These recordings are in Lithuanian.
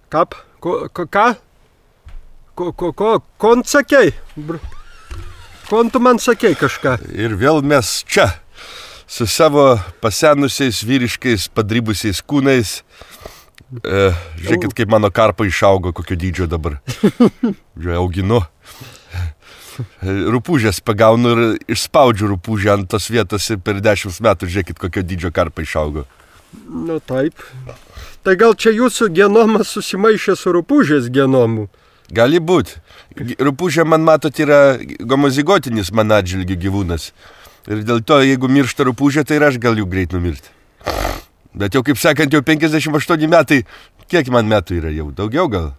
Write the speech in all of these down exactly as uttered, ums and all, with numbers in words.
Kap? Ko, ko, ką? Ko, ko, ko, kon sakei? Kon tu man sakei kažką? Ir vėl mes čia, su savo pasenusiais vyriškais padrybusiais kūnais. E, žiūrėkit, kaip mano karpa išaugo, kokio dydžio dabar. Žiūrėjau, auginu. Rupūžės pagaunu ir išspaudžiu rupūžę ant tos vietos ir per dešimt metų žiūrėkit, kokio dydžio karpa išaugo. Nu taip. Tai gal čia jūsų genomas susimaišė su rupūžės genomu? Gali būti. Rupūžė, man matot, yra homozigotinis man atžvilgių gyvūnas. Ir dėl to, jeigu miršta rupūžė, tai ir aš galiu greit numirti. Bet jau, kaip sakant, jau penkiasdešimt aštuoni metai, kiek man metų yra jau? Daugiau gal?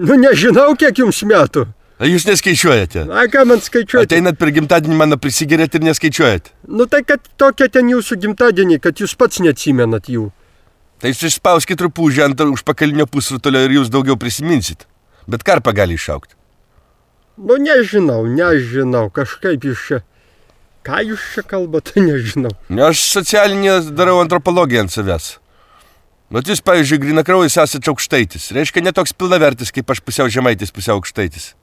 Nu, nežinau, kiek jums metų. A jūs neskaičiuojate? A, ką man skaičiuojate? Ateinat per gimtadienį mano prisigerėt ir neskaičiuojat. Nu, tai kad tokia ten jūsų gimtadienį, kad jūs pats neatsimenat jų. Tai jūs išspauskit rupūžę ant užpakalinio pusrutulio ir jūs daugiau prisiminsit. Bet karpa gali išaukti. Nu, nežinau, nežinau, kažkaip jūs čia... Ką jūs čia kalbate, nežinau. Aš socialinį darau antropologiją ant savęs. Bet jūs, pavyzdžiui, grynakraujis esate aukštaitis. Reiškia, ne toks pilnavertis, kaip aš pusiau žemaitis, pusiau aukštaitis.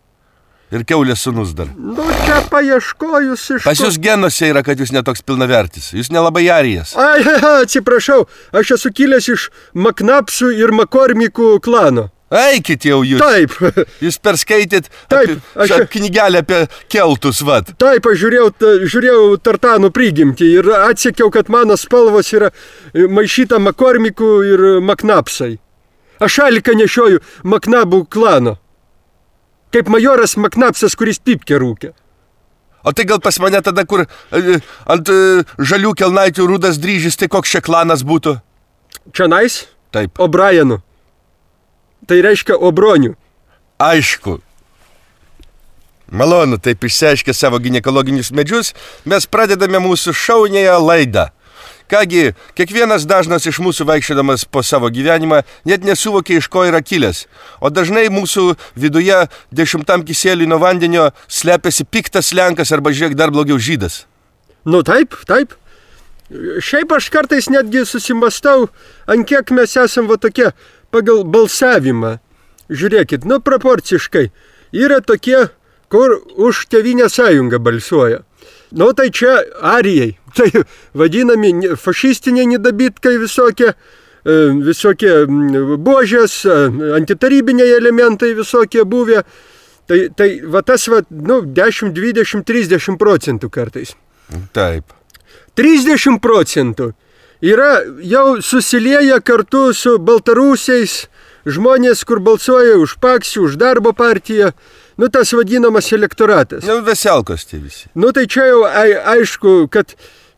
Ir kiaulės sūnus dar. Nu, čia paieškojus iš... Pas jūs genuose yra, kad jūs netoks pilnavertis. Jūs nelabai arijas. Ai, atsiprašau, aš esu kilęs iš Maknapsų ir Makormikų klano. Eikit jau jūs. Taip. Jūs perskaitėt Taip, apie, aš... knygelę apie keltus, vat. Taip, aš žiūrėjau, žiūrėjau tartanų prigimtį ir atsekiau, kad mano spalvos yra maišyta Makormikų ir Maknapsai. Aš šaliką nešioju Maknabų klano. Kaip majoras Maknapsas, kuris pipkę rūkė. O tai gal pas mane tada, kur ant žalių kelnaičių rudas dryžis, tai koks čia klanas būtų? Čionais? Taip. O'Brienų. Tai reiškia Obronių. Aišku. Malonu, taip išsiaiškę savo ginekologinius medžius, mes pradedame mūsų šaunėją laidą. Kągi, kiekvienas dažnas iš mūsų vaikščiodamas po savo gyvenimą net nesuvokia, iš ko yra kilęs. O dažnai mūsų viduje dešimtam kisieliui nuo vandenio slepiasi piktas lenkas arba, žiūrėk, dar blogiau žydas. Nu taip, taip. Šiaip aš kartais netgi susimastau, ant kiek mes esam va tokie pagal balsavimą. Žiūrėkit, nu proporciškai. Yra tokie, kur už Tėvynės sąjungą balsuoja. Nu tai čia arijai, tai vadinami fašistiniai nedabitkai visokie, visokie buožės, antitarybiniai elementai visokie buvę. Tai, tai va tas va, nu, dešimt, dvidešimt, trisdešimt procentų kartais. Taip. trisdešimt procentų yra jau susilieję kartu su baltarusiais žmonės, kur balsuoja už Paksį, už Darbo partiją. Nu, tas vadinamas elektoratas. Nu, veselkos tie visi. Nu, tai čia jau ai, aišku, kad,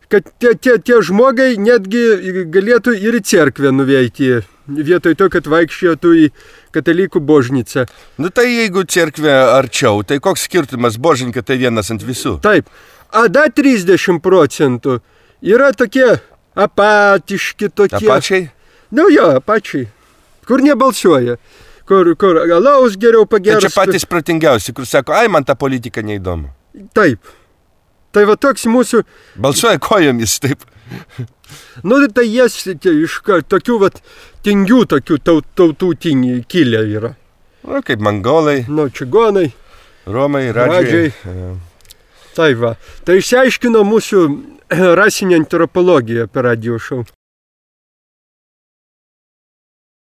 kad tie, tie, tie žmogai netgi galėtų ir į cerkvę nuveikti, vietoj to, kad vaikščiotų į katalikų božnicą. Nu, tai jeigu cerkvė arčiau, tai koks skirtumas, božinka tai vienas ant visų. Taip. A da trisdešimt procentų yra tokie apatiški tokie. Apačiai? Nu, jo, apačiai. Kur nebalsuoja. Kur, kur alaus geriau pageros. Tai čia patys protingiausi, kur sako, ai, man ta politika neįdomu. Taip. Tai va toks mūsų... Balsuoja kojomis, taip. Nu, tai jie iš tokių va tingių, tokių taut, tautų tingių kilę yra. Nu, kaip mongolai. Nu, čigonai. Romai, radžiai. radžiai. Tai va. Tai išsiaiškino mūsų rasinė antropologija per radio šou.